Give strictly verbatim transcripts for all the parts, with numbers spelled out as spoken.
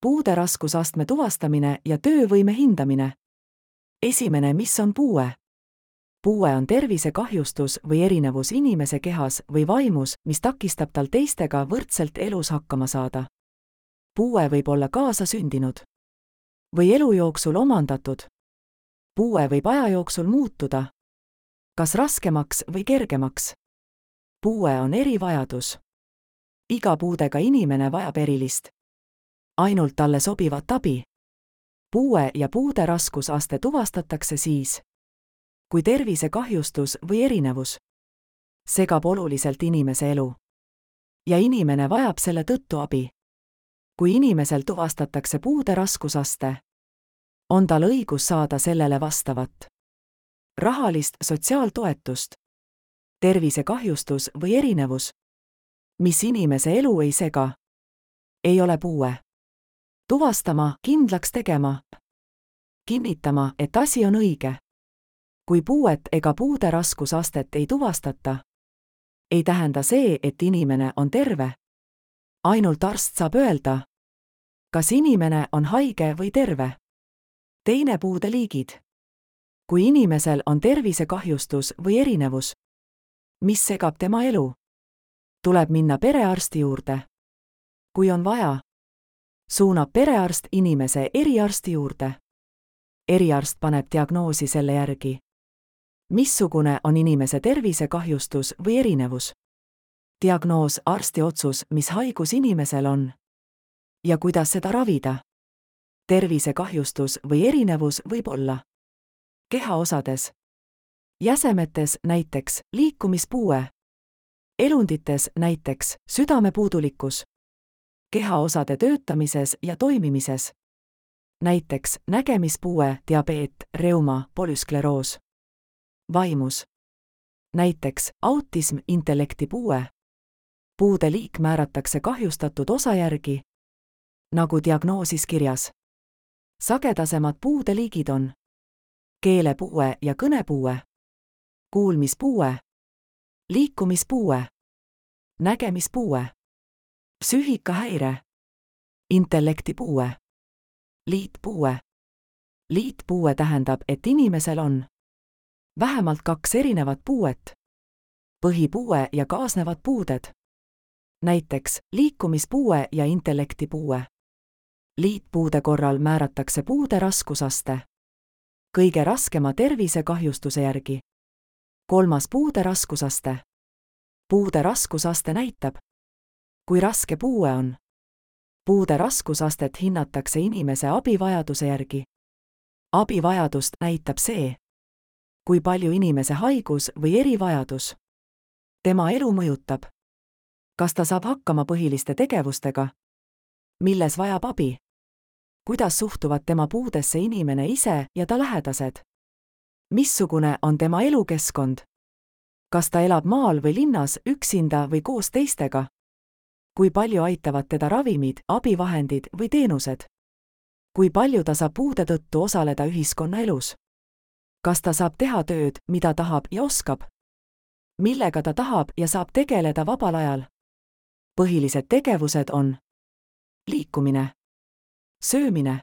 Puude raskusastme tuvastamine ja töövõime hindamine. Esimene, mis on puue? Puue on tervisekahjustus või erinevus inimese kehas või vaimus, mis takistab tal teistega võrdselt elus hakkama saada. Puue võib olla kaasasündinud või elu jooksul omandatud. Puue võib aja jooksul muutuda, kas raskemaks või kergemaks. Puue on erivajadus. Iga puudega inimene vajab erilist, ainult talle sobivat abi. Puue ja puude raskusaste tuvastatakse siis, kui tervisekahjustus või erinevus segab oluliselt inimese elu ja inimene vajab selle tõttu abi. Kui inimesel tuvastatakse puude raskusaste, on tal õigus saada sellele vastavat rahalist sotsiaaltoetust. Tervisekahjustus või erinevus, mis inimese elu ei sega, ei ole puue. Tuvastama, kindlaks tegema, kinnitama, et asi on õige. Kui puuet ega puude raskusastet ei tuvastata, ei tähenda see, et inimene on terve. Ainult arst saab öelda, kas inimene on haige või terve. Teine puude liigid. Kui inimesel on tervisekahjustus või erinevus, mis segab tema elu, tuleb minna perearsti juurde. Kui on vaja, suunab perearst inimese eriarsti juurde. Eriarst paneb diagnoosi selle järgi, missugune on inimese tervisekahjustus või erinevus. Diagnoos, arsti otsus, mis haigus inimesel on ja kuidas seda ravida. Tervisekahjustus või erinevus võib olla kehaosades, jäsemetes näiteks liikumispuue, elundites näiteks südamepuudulikkus, kehaosade töötamises ja toimimises, näiteks nägemispuue, diabeet, reuma, polüskleroos, vaimus, näiteks autism, intellektipuue. Puude liik määratakse kahjustatud osa järgi, nagu diagnoosis kirjas. Sagedasemad puude liigid on keelepuue ja kõnepuue, kuulmispuue, liikumispuue, nägemispuue, psüühikahäire, intellektipuue, liitpuue. Liitpuue tähendab, et inimesel on vähemalt kaks erinevat puuet, põhipuue ja kaasnevad puuded, näiteks liikumispuue ja intellektipuue. Liitpuude korral määratakse puude raskusaste kõige raskema tervisekahjustuse järgi. Kolmas puude raskusaste. Puude raskusaste näitab, kui raske puue on. Puude raskusastet hinnatakse inimese abivajaduse järgi. Abivajadust näitab see, kui palju inimese haigus või erivajadus tema elu mõjutab. Kas ta saab hakkama põhiliste tegevustega, milles vajab abi? Kuidas suhtuvad tema puudesse inimene ise ja ta lähedased? Missugune on tema elukeskkond? Kas ta elab maal või linnas üksinda või koos teistega? Kui palju aitavad teda ravimid, abivahendid või teenused? Kui palju ta saab puude tõttu osaleda ühiskonnaelus? Kas ta saab teha tööd, mida tahab ja oskab? Millega ta tahab ja saab tegeleda vabal ajal? Põhilised tegevused on liikumine, söömine,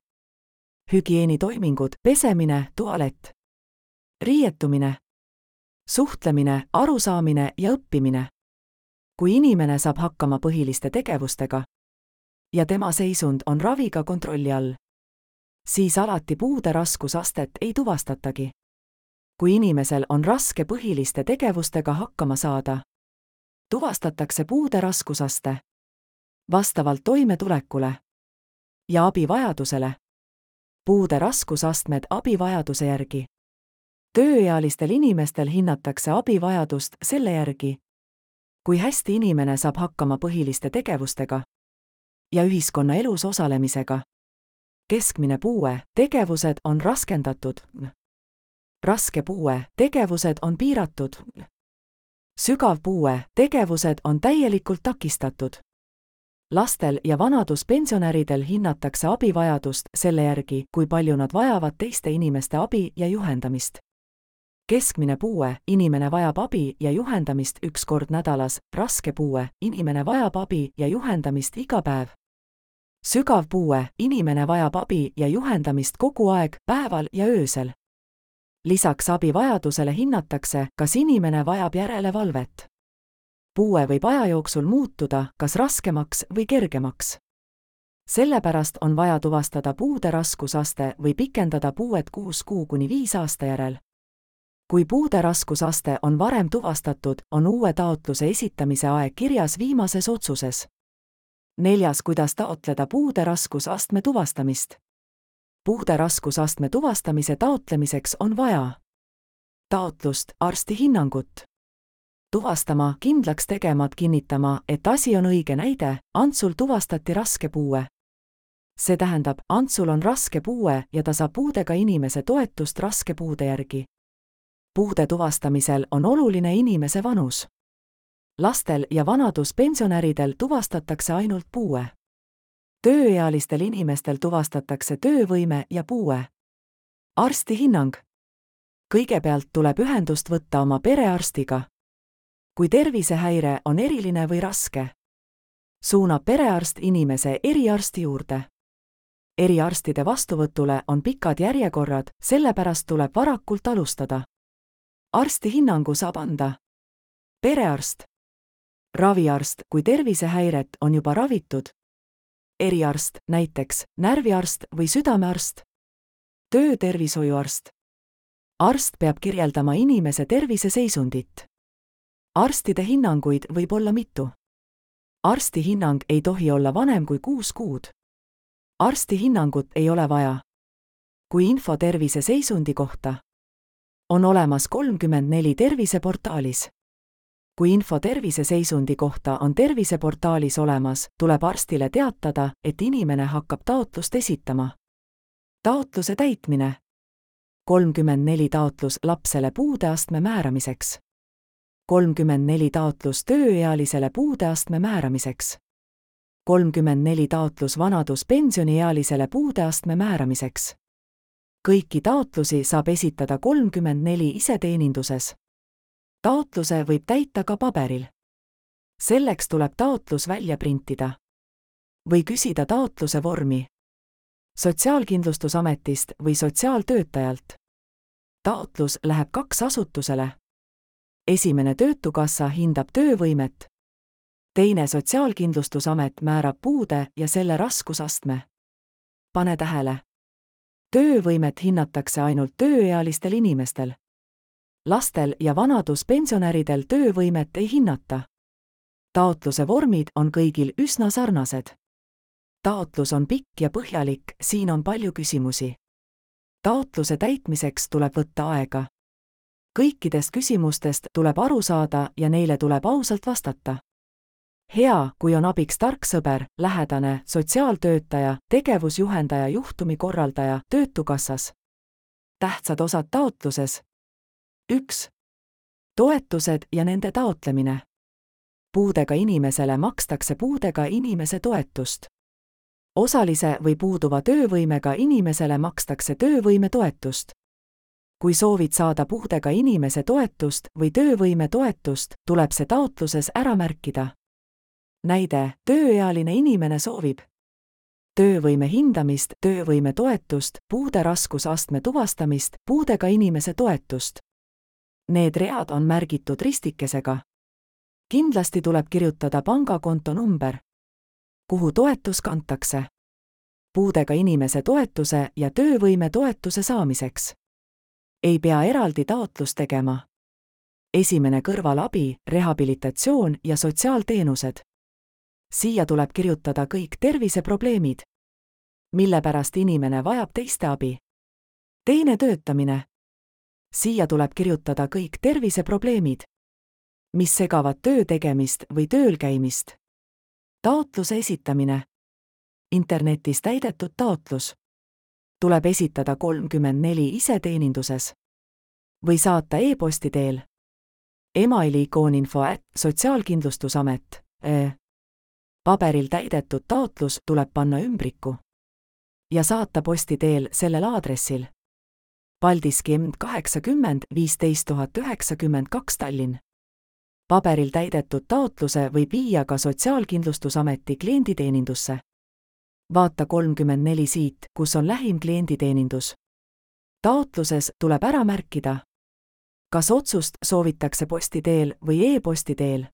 hügieenitoimingud, pesemine, tualett, riietumine, suhtlemine, arusaamine ja õppimine. Kui inimene saab hakkama põhiliste tegevustega ja tema seisund on raviga kontrolli all, siis alati puude raskusastet ei tuvastatagi. Kui inimesel on raske põhiliste tegevustega hakkama saada, tuvastatakse puude raskusaste vastavalt toimetulekule ja abivajadusele. Puude raskusastmed abivajaduse järgi. Tööealistel inimestel hinnatakse abivajadust selle järgi, kui hästi inimene saab hakkama põhiliste tegevustega ja ühiskonnaelus osalemisega. Keskmine puue, tegevused on raskendatud. Raske puue, tegevused on piiratud. Sügav puue, tegevused on täielikult takistatud. Lastel ja vanaduspensionäridel hinnatakse abivajadust selle järgi, kui palju nad vajavad teiste inimeste abi ja juhendamist. Keskmine puue, inimene vajab abi ja juhendamist üks kord nädalas, raske puue, inimene vajab abi ja juhendamist iga päev. sügav puue, inimene vajab abi ja juhendamist kogu aeg, päeval ja öösel. Lisaks abivajadusele hinnatakse, kas inimene vajab järelevalvet. Puue võib aja jooksul muutuda, kas raskemaks või kergemaks. Sellepärast on vaja tuvastada puude raskusaste või pikendada puuet kuus kuu kuni viis aasta järel. Kui puude raskusaste on varem tuvastatud, on uue taotluse esitamise aeg kirjas viimases otsuses. Neljas, kuidas taotleda puude raskusastme tuvastamist. Puude raskusastme tuvastamise taotlemiseks on vaja taotlust, arsti hinnangut. Tuvastama, kindlaks tegema, kinnitama, et asi on õige näide, Antsul tuvastati raske puue. See tähendab, Antsul on raske puue ja ta saab puudega inimese toetust raske puude järgi. Puude tuvastamisel on oluline inimese vanus. Lastel ja vanaduspensionäridel tuvastatakse ainult puue. Tööealistel inimestel tuvastatakse töövõime ja puue. Arsti hinnang. Kõigepealt tuleb ühendust võtta oma perearstiga. Kui tervisehäire on eriline või raske, suunab perearst inimese eriarsti juurde. Eriarstide vastuvõtule on pikad järjekorrad, sellepärast tuleb varakult alustada. Arsti hinnangu saab anda perearst, raviarst, kui tervisehäiret on juba ravitud, eriarst, näiteks närviarst või südamearst, töötervishoiuarst. Arst peab kirjeldama inimese terviseseisundit. Arstide hinnanguid võib olla mitu. Arsti hinnang ei tohi olla vanem kui kuus kuud. Arsti hinnangut ei ole vaja. Kui info terviseseisundi kohta on olemas kolmkümmend neli terviseportaalis. Kui info terviseseisundi kohta on terviseportaalis olemas, tuleb arstile teatada, et inimene hakkab taotlust esitama. Taotluse täitmine. kolmkümmend neli taotlus lapsele puudeastme määramiseks. kolmkümmend neli taotlus tööealisele puudeastme määramiseks. kolmkümmend neli taotlus vanaduspensioniealisele puudeastme määramiseks. Kõiki taotlusi saab esitada kolmkümmend neli iseteeninduses. Taotluse võib täita ka paberil. Selleks tuleb taotlus välja printida. Või küsida taotluse vormi Sotsiaalkindlustusametist või sotsiaaltöötajalt. Taotlus läheb kaks asutusele. Esimene Töötukassa hindab töövõimet. Teine Sotsiaalkindlustusamet määrab puude ja selle raskusastme. Pane tähele. Töövõimet hinnatakse ainult tööealistel inimestel. Lastel ja vanaduspensionäridel töövõimet ei hinnata. Taotluse vormid on kõigil üsna sarnased. Taotlus on pikk ja põhjalik, siin on palju küsimusi. Taotluse täitmiseks tuleb võtta aega. Kõikidest küsimustest tuleb aru saada ja neile tuleb ausalt vastata. Hea, kui on abiks tark sõber, lähedane, sotsiaaltöötaja, tegevusjuhendaja, juhtumikorraldaja, Töötukassas. Tähtsad osad taotluses. üks. Toetused ja nende taotlemine. Puudega inimesele makstakse puudega inimese toetust. Osalise või puuduva töövõimega inimesele makstakse töövõime toetust. Kui soovid saada puudega inimese toetust või töövõime toetust, tuleb see taotluses ära märkida. Näide, tööealine inimene soovib töövõime hindamist, töövõime toetust, puude raskusastme tuvastamist, puudega inimese toetust. Need read on märgitud ristikesega. Kindlasti tuleb kirjutada pangakonto number, kuhu toetus kantakse. Puudega inimese toetuse ja töövõime toetuse saamiseks ei pea eraldi taotlust tegema. Esimene kõrvalabi, rehabilitatsioon ja sotsiaalteenused. Siia tuleb kirjutada kõik terviseprobleemid, mille pärast inimene vajab teiste abi. Teine töötamine. Siia tuleb kirjutada kõik terviseprobleemid, mis segavad töö tegemist või tööl käimist. Taotluse esitamine. Internetis täidetud taotlus. Tuleb esitada kolmkümmend neli iseteeninduses või saata e-posti teel. Emaili ikoninfo at sotsiaalkindlustusamet. Paberil täidetud taotlus tuleb panna ümbriku ja saata posti teel sellel aadressil. Paldiski M kaheksakümmend viisteist tuhat üheksakümmend kaks Tallinn. Paberil täidetud taotluse võib viia ka Sotsiaalkindlustusameti klienditeenindusse vaata kolmkümmend neli siit, kus on lähim klienditeenindus. Taotluses tuleb ära märkida, kas otsust soovitakse posti teel või e-posti teel.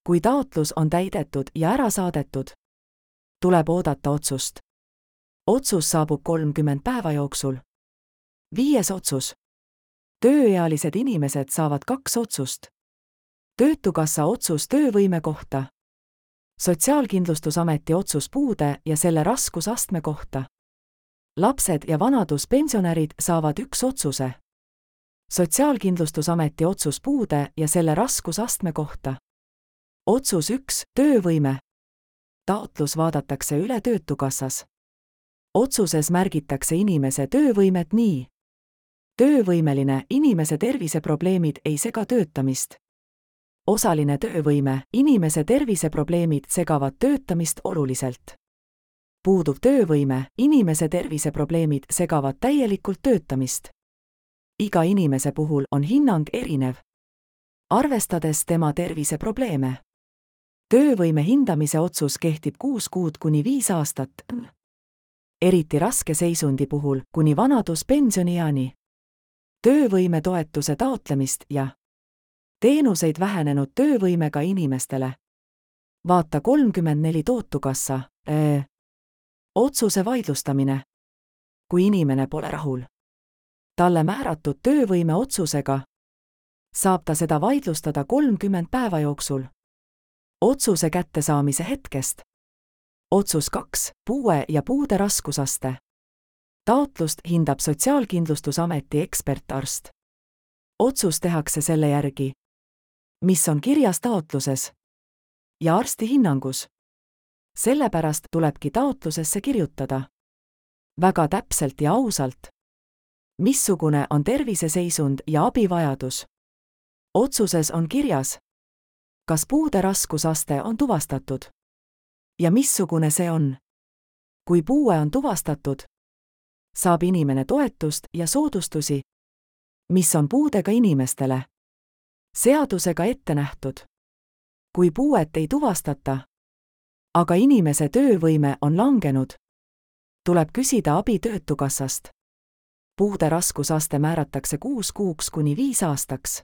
Kui taotlus on täidetud ja ära saadetud, tuleb oodata otsust. Otsus saabub kolmkümmend päeva jooksul. Viies otsus. Tööealised inimesed saavad kaks otsust. Töötukassa otsus töövõime kohta. Sotsiaalkindlustusameti otsus puude ja selle raskusastme kohta. Lapsed ja vanaduspensionärid saavad üks otsuse. Sotsiaalkindlustusameti otsus puude ja selle raskusastme kohta. Otsus üks, töövõime. Taotlus vaadatakse üle Töötukassas. Otsuses märgitakse inimese töövõimet nii. Töövõimeline, inimese terviseprobleemid ei sega töötamist. Osaline töövõime, inimese terviseprobleemid segavad töötamist oluliselt. Puuduv töövõime, inimese terviseprobleemid segavad täielikult töötamist. Iga inimese puhul on hinnang erinev, arvestades tema terviseprobleeme. Töövõime hindamise otsus kehtib kuus kuud kuni viis aastat. Eriti raske seisundi puhul kuni vanaduspensionieani. Töövõime toetuse taotlemist ja teenuseid vähenenud töövõimega inimestele. Vaata kolmkümmend neli Töötukassa. Ee. Otsuse vaidlustamine. Kui inimene pole rahul talle määratud töövõime otsusega, saab ta seda vaidlustada kolmkümmend päeva jooksul. Otsuse kättesaamise hetkest. Otsus kaks, puue ja puude raskusaste. Taotlust hindab Sotsiaalkindlustusameti ekspertarst. Otsus tehakse selle järgi, mis on kirjas taotluses ja arsti hinnangus. Sellepärast tulebki taotlusesse kirjutada väga täpselt ja ausalt, missugune on terviseseisund ja abivajadus. Otsuses on kirjas, kas puude raskusaste on tuvastatud ja missugune see on. Kui puue on tuvastatud, saab inimene toetust ja soodustusi, mis on puudega inimestele seadusega ette nähtud. Kui puuet ei tuvastata, aga inimese töövõime on langenud, tuleb küsida abi Töötukassast. Puude raskusaste määratakse kuus kuuks kuni viis aastaks.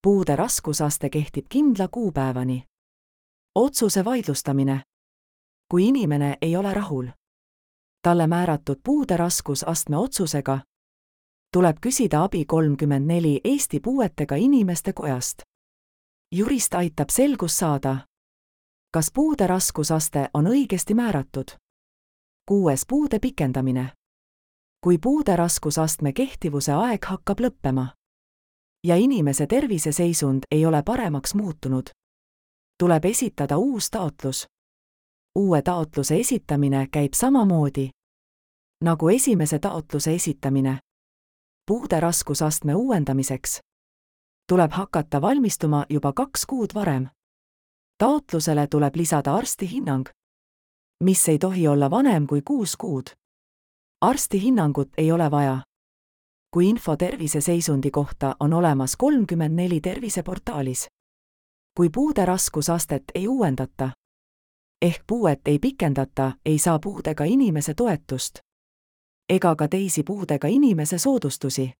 Puude raskusaste kehtib kindla kuupäevani. Otsuse vaidlustamine. Kui inimene ei ole rahul talle määratud puude raskusastme otsusega, tuleb küsida abi kolmkümmend neli Eesti Puuetega Inimeste Kojast. Jurist aitab selgus saada, kas puude raskusaste on õigesti määratud. Kuues puude pikendamine. Kui puude raskusastme kehtivuse aeg hakkab lõppema ja inimese terviseseisund ei ole paremaks muutunud, tuleb esitada uus taotlus. Uue taotluse esitamine käib samamoodi nagu esimese taotluse esitamine. Puude raskusastme uuendamiseks tuleb hakata valmistuma juba kaks kuud varem. Taotlusele tuleb lisada arsti hinnang, mis ei tohi olla vanem kui kuus kuud. Arsti hinnangut ei ole vaja, kui info terviseseisundi kohta on olemas kolmkümmend neli terviseportaalis. Kui puude raskusastet ei uuendata ehk puuet ei pikendata, ei saa puudega inimese toetust ega ka teisi puudega inimese soodustusi.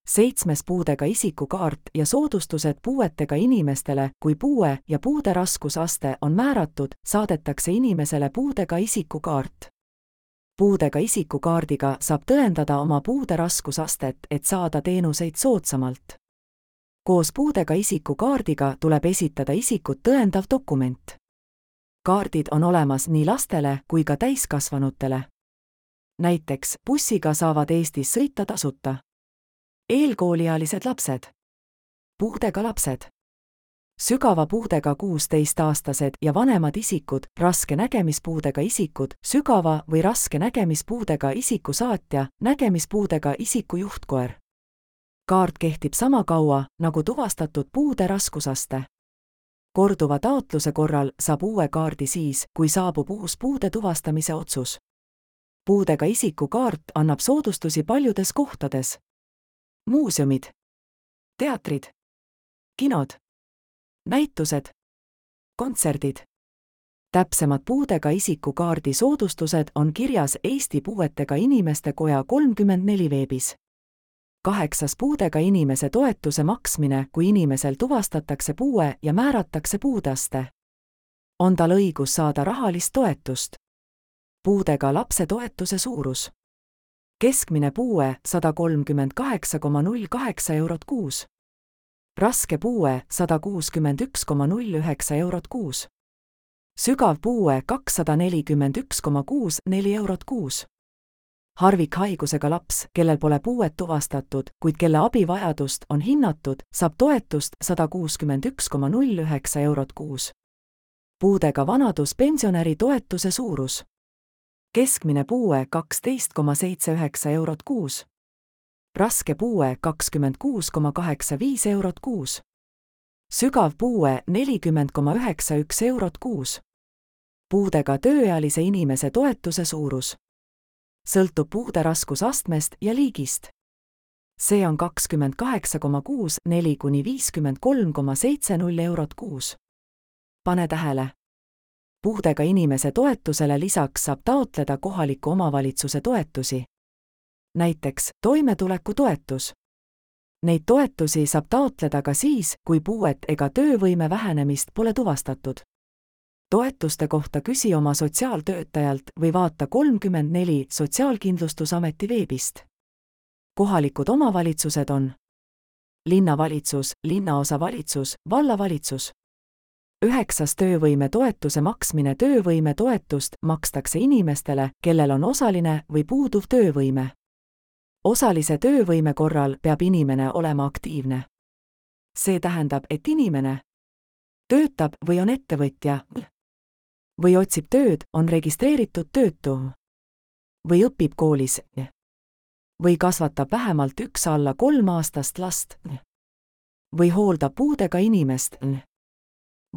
Seitsmes puudega isikukaart ja soodustused puuetega inimestele. Kui puue ja puude raskusaste on määratud, saadetakse inimesele puudega isikukaart. Puudega isikukaardiga saab tõendada oma puude raskusastet, et saada teenuseid soodsamalt. Koos puudega isikukaardiga tuleb esitada isikut tõendav dokument. Kaardid on olemas nii lastele kui ka täiskasvanutele. Näiteks bussiga saavad Eestis sõita tasuta eelkooliealised lapsed, puudega lapsed, sügava puudega kuuseteistaastased ja vanemad isikud, raske nägemispuudega isikud, sügava või raske nägemispuudega isiku saatja, nägemispuudega isiku juhtkoer. Kaart kehtib sama kaua, nagu tuvastatud puude raskusaste. Korduva taotluse korral saab uue kaardi siis, kui saabub uus puude tuvastamise otsus. Puudega isiku kaart annab soodustusi paljudes kohtades. Muuseumid, teatrid, kinod, näitused, kontserdid, Täpsemad puudega isiku kaardi soodustused on kirjas Eesti Puuetega Inimeste Koja kolmkümmend neli veebis. Kaheksas puudega inimese toetuse maksmine, kui inimesel tuvastatakse puue ja määratakse puudeaste. On tal õigus saada rahalist toetust. Puudega lapse toetuse suurus. Keskmine puue sada kolmkümmend kaheksa koma null kaheksa eurot kuus. Raske puue sada kuuskümmend üks koma null üheksa eurot kuus. Sügav puue kakssada nelikümmend üks koma kuus neli eurot kuus. Harvikhaigusega laps, kellel pole puuet tuvastatud, kuid kelle abivajadust on hinnatud, saab toetust sada kuuskümmend üks koma null üheksa eurot kuus. Puudega vanaduspensionäri toetuse suurus. Keskmine puue kaksteist koma seitse üheksa eurot kuus. Raske puue kakskümmend kuus koma kaheksa viis eurot kuus. Sügav puue nelikümmend koma üheksa üks eurot kuus. Puudega tööealise inimese toetuse suurus. Sõltub puude raskusastmest ja liigist. See on kakskümmend kaheksa koma kuus neli kuni viiskümmend kolm koma seitse null eurot kuus. Pane tähele. Puudega inimese toetusele lisaks saab taotleda kohaliku omavalitsuse toetusi. Näiteks toimetulekutoetus. Neid toetusi saab taotleda ka siis, kui puuet ega töövõime vähenemist pole tuvastatud. Toetuste kohta küsi oma sotsiaaltöötajalt või vaata kolmkümmend neli Sotsiaalkindlustusameti veebist. Kohalikud omavalitsused on linnavalitsus, linnaosavalitsus, vallavalitsus. Üheksas töövõime toetuse maksmine. Töövõime toetust makstakse inimestele, kellel on osaline või puuduv töövõime. Osalise töövõime korral peab inimene olema aktiivne. See tähendab, et inimene töötab või on ettevõtja või otsib tööd, on registreeritud töötu või õpib koolis või kasvatab vähemalt üks alla kolmaastast last või hooldab puudega inimest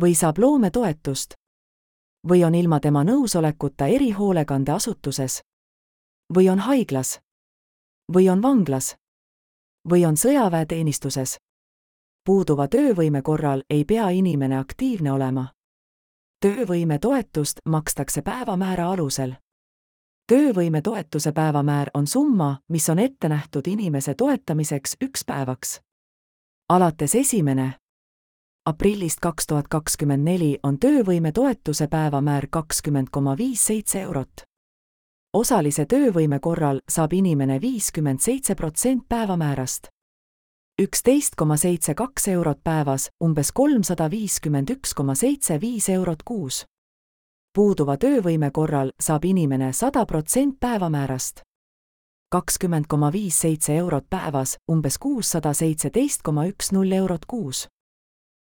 või saab loometoetust või on ilma tema nõusolekuta erihoolekandeasutuses või on haiglas või on vanglas või on sõjaväeteenistuses. Puuduva töövõime korral ei pea inimene aktiivne olema. Töövõime toetust makstakse päevamäära alusel. Töövõime toetuse päevamäär on summa, mis on ette nähtud inimese toetamiseks üks päevaks. Alates esimene aprillist kaks tuhat kakskümmend neli on töövõime toetuse päevamäär kakskümmend koma viis seitse eurot. Osalise töövõime korral saab inimene viiskümmend seitse protsenti päevamäärast. üksteist koma seitse kaks eurot päevas, umbes kolmsada viiskümmend üks koma seitse viis eurot kuus. Puuduva töövõime korral saab inimene sada protsenti päevamäärast. kakskümmend koma viis seitse eurot päevas, umbes kuussada seitseteist koma üks null eurot kuus.